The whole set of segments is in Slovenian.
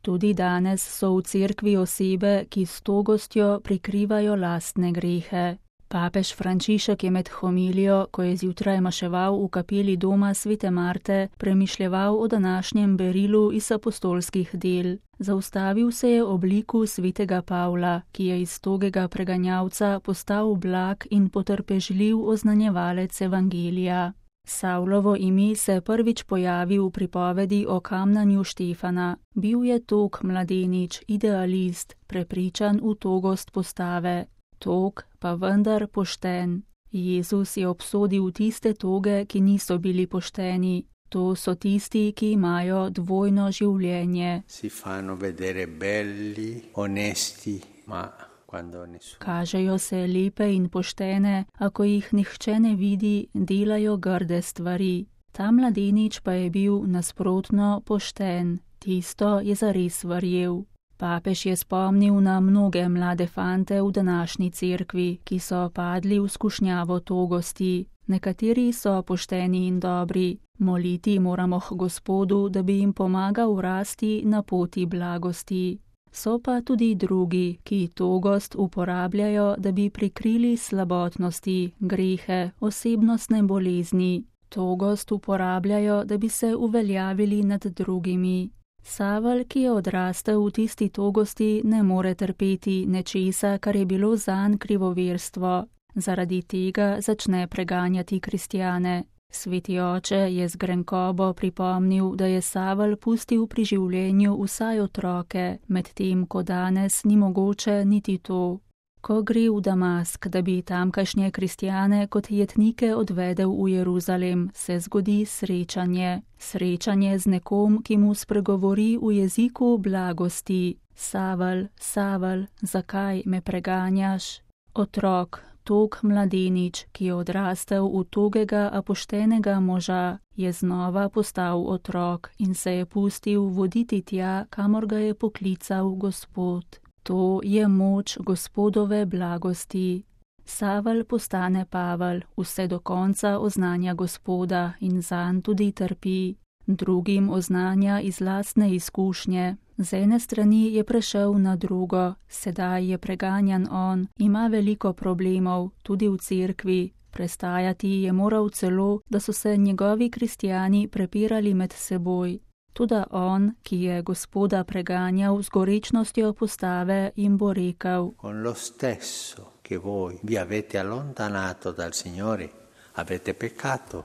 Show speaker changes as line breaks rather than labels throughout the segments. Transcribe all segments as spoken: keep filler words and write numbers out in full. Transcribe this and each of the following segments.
Tudi danes so v cerkvi osebe, ki s togostjo prikrivajo lastne grehe. Papež Frančišek je med homilijo, ko je zjutraj maševal v kapeli doma svete Marte, premišljeval o današnjem berilu iz apostolskih del. Zaustavil se je ob liku svetega Pavla, ki je iz togega preganjavca postal blag in potrpežljiv oznanjevalec evangelija. Savlovo ime se je prvič pojavil v pripovedi o kamnanju Štefana. Bil je tog mladenič, idealist, prepričan v togost postave. Tog pa vendar pošten. Jezus je obsodil tiste toge, ki niso bili pošteni. To so tisti, ki imajo dvojno življenje.
Si fanno vedere belli, onesti, ma quando nessuno.
Kažejo se lepe in poštene, a ko jih nihče ne vidi, delajo grde stvari. Ta mladenič pa je bil nasprotno pošten. Tisto je zares verjel. Papež je spomnil na mnoge mlade fante v današnji cerkvi, ki so padli v skušnjavo togosti. Nekateri so pošteni in dobri. Moliti moramo k Gospodu, da bi jim pomagal rasti na poti blagosti. So pa tudi drugi, ki togost uporabljajo, da bi prikrili slabotnosti, grehe, osebnostne bolezni. Togost uporabljajo, da bi se uveljavili nad drugimi. Savel, ki je odrastel v tisti togosti, ne more trpeti nečesa, kar je bilo zanj krivoverstvo. Zaradi tega začne preganjati kristjane. Sveti oče je z grenkobo pripomnil, da je Savel pustil pri življenju vsaj otroke, medtem ko danes ni mogoče niti to. Ko gre v Damask, da bi tamkajšnje kristjane kot jetnike odvedel v Jeruzalem, se zgodi srečanje. Srečanje z nekom, ki mu spregovori v jeziku blagosti. Savel, Savel, zakaj me preganjaš? Otrok, tog mladenič, ki je odrastel v togega a poštenega moža, je znova postal otrok in se je pustil voditi tja, kamor ga je poklical Gospod. To je moč Gospodove blagosti. Savel postane Pavel, vse do konca oznanja Gospoda in zanj tudi trpi. Drugim oznanja iz lastne izkušnje. Z ene strani je prešel na drugo, sedaj je preganjan on, ima veliko problemov, tudi v cerkvi. Prestajati je moral celo, da so se njegovi kristjani prepirali med seboj. Toda on, ki je Gospoda preganjal z gorečnostjo postave, jim bo rekel:
Con lo stesso che voi vi avete allontanato dal Signore, avete peccato.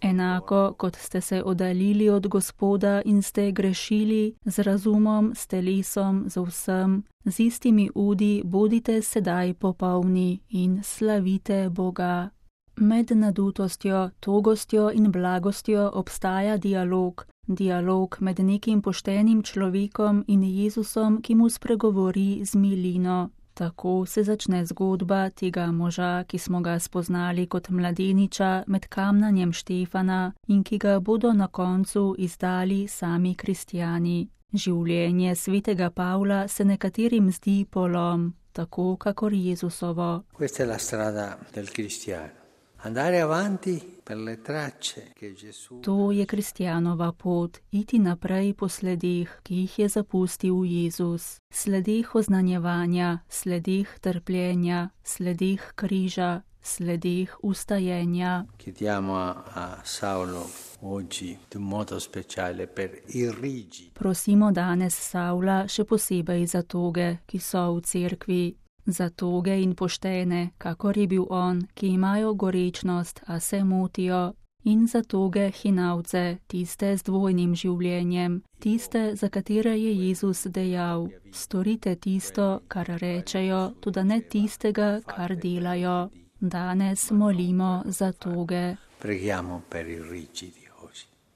Enako, kot ste se oddaljili od Gospoda in ste grešili z razumom, s telesom, z vsem, z istimi udi bodite sedaj popolni in slavite Boga. Med nadutostjo, togostjo in blagostjo obstaja dialog, dialog med nekim poštenim človekom in Jezusom, ki mu spregovori z milino. Tako se začne zgodba tega moža, ki smo ga spoznali kot mladeniča med kamnanjem Štefana in ki ga bodo na koncu izdali sami kristjani. Življenje svetega Pavla se nekaterim zdi polom, tako kakor Jezusovo.
Questa è la strada del cristiano. Andare avanti per le tracce che Gesù.
To je kristjanova pot, iti naprej po sledeh, ki jih je zapustil Jezus. Sledeh oznanjevanja, sledeh trpljenja, sledeh križa, sledeh ustajenja.
Chiediamo a, a Saulo oggi in modo speciale per i rigidi.
Prosimo danes Saula še posebej za toge, ki so v cerkvi. Za toge in poštene, kakor je bil on, ki imajo gorečnost, a se motijo, in za toge hinavce, tiste z dvojnim življenjem, tiste, za katere je Jezus dejal: storite tisto, kar rečejo, tudi ne tistega, kar delajo. Danes molimo za toge.
Preghiamo per i rigidi.